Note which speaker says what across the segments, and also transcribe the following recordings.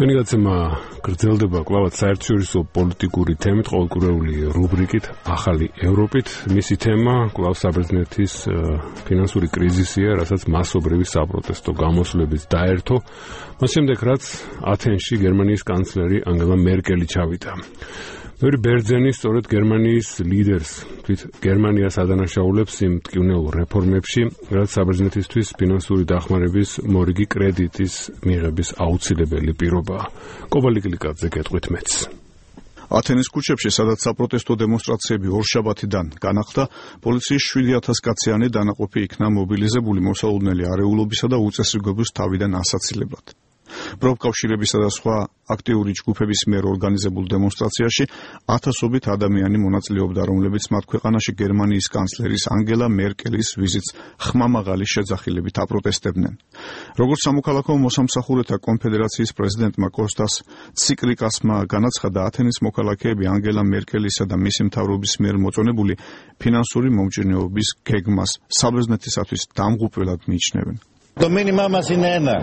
Speaker 1: ჩვენი გაცემა გრძელდება კვლავაც საერთაშორისო პოლიტიკური თემით, ყოველკვირეული რუბრიკით ახალი ევროპით. მისი თემა კვლავ საბერძნეთის ფინანსური კრიზისია, რასაც მასობრივი საპროტესტო გამოსვლებით დაერთო. მას შემდეგ, რაც ათენში გერმანიის კანცლერი ანგელა მერკელი ჩავიდა. ბევრი ბერძენი სწორედ გერმანიის ლიდერს თვით გერმანიას ადანაშაულებს იმ მტკივნეულ რეფორმებში, რაც საბერძნეთისთვის ფინანსური დახმარების მორიგი კრედიტის მიღების აუცილებელი პირობაა. კობალიკლიკაძე გეტყვით მეც.
Speaker 2: ათენის ქუჩებში, სადაც საპროტესტო დემონსტრაციები ორშაბათიდან განახლდა, პოლიციის 7,000 კაციანი დანაყოფი იქნა მობილიზებული მოსალოდნელი არეულობისა და უწესრიგობის თავიდან ასაცილებლად. პროფკავშირებისა და სხვა აქტიური ჯგუფების მიერ ორგანიზებულ დემონსტრაციაში ათასობით ადამიანი მონაწილეობდა, რომლებიც მათ ქვეყანაში გერმანიის კანცლერის ანგელა მერკელის ვიზიტს ხმამაღალი შეძახილებით აპროტესტებდნენ. როგორც სამოქალაქო მოსამსახურეთა კონფედერაციის პრეზიდენტმა კოსტას ციკლიკასმა განაცხადა, ათენის მოქალაქეები ანგელა მერკელისა და მისი მთავრობის მიერ მოწონებული ფინანსური მომჭირნეობის გეგმას საბერძნეთისათვის დამღუპველად მიიჩნევენ.
Speaker 3: Το μήνυμά μας είναι ένα.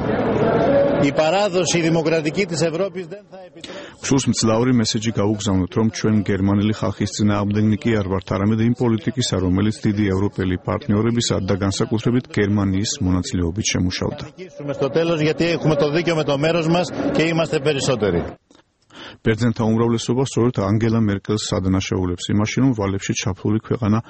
Speaker 3: Η παράδοση δημοκρατική της Ευρώπης δεν θα επιτρέψει.
Speaker 2: Სულს მძლავრი მესეჯი გაუგზავნოთ, რომ ჩვენ გერმანელი ხალხის წინააღმდეგნიკი არ ვართ, არამედ იმ პოლიტიკისა, რომელიც დიდი ევროპელი პარტნიორებისა და განსაკუთრებით გერმანიის მონაწილეობით შემუშავდა.
Speaker 3: Στο τέλος, γιατί έχουμε το δίκαιο με το μέρος μας και είμαστε περισσότεροι.
Speaker 2: ბერძენთა უმრავლესობა სწორედ ანგელა მერკელს ადანაშაულებს იმაში, რომ ვალებში ჩაფლული ქვეყანა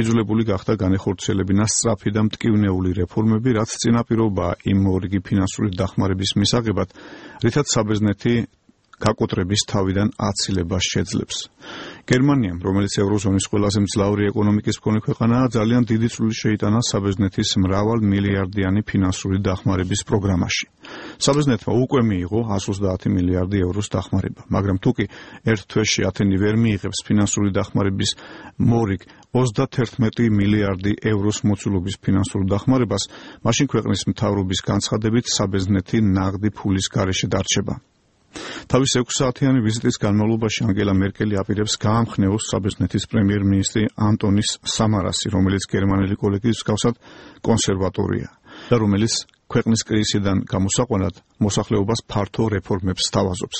Speaker 2: იძულებული გახდა განეხორციელებინა სწრაფი და მტკივნეული რეფორმები, რაც წინაპირობაა იმ მორიგი ფინანსური დახმარების მისაღებად, რითაც საბერძნეთი გაკოტრების თავიდან აცილებას შეძლებს. გერმანიამ, რომელიც ევროზონის ყველაზე მძლავრი ეკონომიკის მქონე ქვეყანაა, ძალიან დიდი წვლილი შეიტანა საბერძნეთის მრავალ მილიარდიანი ფინანსური დახმარების პროგრამაში. საბერძნეთმა უკვე მიიღო 130 მილიარდი ევროს დახმარება, მაგრამ თუკი ერთ თვეში ათენი ვერ მიიღებს ფინანსური დახმარების მორიგ 31 მილიარდი ევროს მოცულობის ფინანსურ დახმარებას, მაშინ ქვეყნის მთავრობის განცხადებით საბერძნეთი ნაღდი ფულის გარეშე დარჩება. თავის 6 საათიანი ვიზიტის განმავლობაში ანგელა მერკელი აპირებს გაამხნევოს საბერძნეთის პრემიერ-მინისტრი ანტონის სამარასი, რომელიც გერმანელი კოლექტივის მსგავსად კონსერვატორია და რომელიც ქვეყნის კრიზისიდან გამოსაყვანად მოსახლეობას ფართო რეფორმებს სთავაზობს.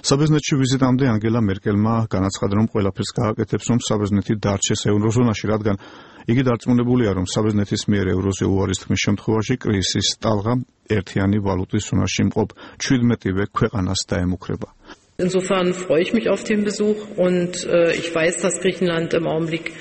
Speaker 2: საბერძნეთში ვიზიტამდე ანგელა მერკელმა განაცხადა, რომ ყველაფერს გააკეთებს, რომ საბერძნეთი დარჩეს ევროზონაში, რადგან იგი დარწმუნებულია, რომ საბერძნეთის მიერ ევროზე უარის თქმის შემთხვევაში კრიზისის ტალღა ერთიანი ვალუტის ზონაში მყოფ 17-ვე ქვეყანას დაემუქრება.
Speaker 4: Insofern freue ich mich auf den Besuch und ich weiß, dass Griechenland im Augenblick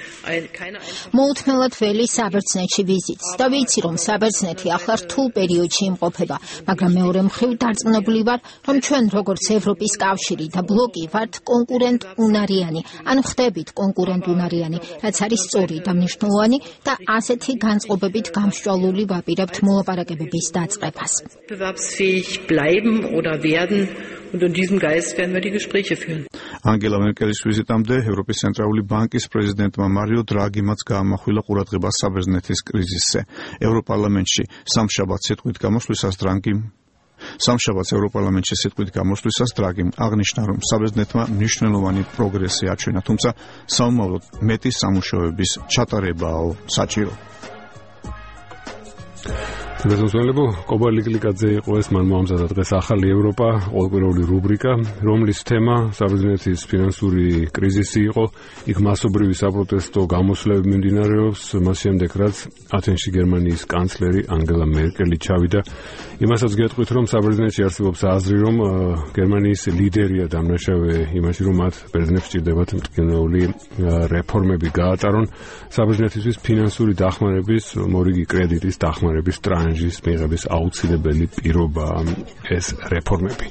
Speaker 4: keine
Speaker 5: მოუთმელად ველი საბერძნეთში ვიზიტს და ვიცი, რომ საბერძნეთი ახლა რთულ პერიოდში იმყოფება, მაგრამ მეორე მხრივ დარწმუნებული ვარ, რომ ჩვენ როგორც ევროპის კავშირი და ბლოკი ვართ კონკურენტუნარიანი, ან ხდებით კონკურენტუნარიანი, რაც არის სწორი და მნიშვნელოვანი და ასეთი განწყობებით გამსჭვალული ვაპირებთ მოლაპარაკებების დაწყებას.
Speaker 4: Wettbewerbsfähig bleiben oder werden. Und in diesem Geist werden wir die Gespräche führen.
Speaker 2: ანგელა მერკელის ვიზიტამდე ევროპის ცენტრალური ბანკის პრეზიდენტმა მარიო დრაგიმაც გაამახვილა ყურადღება საბერძნეთის კრიზისზე. ევროპარლამენტში სამშაბათს სიტყვით გამოსვლისას დრაგიმ აღნიშნა, რომ საბერძნეთმა მნიშვნელოვანი პროგრესი აჩვენა, თუმცა საომავლოდ მეტი სამუშაოების ჩატარებაა საჭირო.
Speaker 1: მეზონსვენებო კობალიკლიკაძე იყო ეს, მან მოამზადა დღეს ახალი ევროპა, ყოველკვირეული რუბრიკა, რომლის თემა საბერძნეთის ფინანსური კრიზისი იყო. იქ მასობრივი საპროტესტო გამოსვლები მიმდინარეობს, მას შემდეგ, რაც ათენში გერმანიის კანცლერი ანგელა მერკელი ჩავიდა. იმასაც გეტყვით, რომ საბერძნეთში არსებობს აზრი, რომ გერმანიის ლიდერია დამნაშავე იმაში, რომ მათ ბერძნებს სჭირდებათ მტკივნეული რეფორმები გაატარონ. საბერძნეთისთვის ფინანსური დახმარების მორიგი კრედიტის დახმარების ტრანჟის მიღების აუცილებელი პირობაა ეს რეფორმები.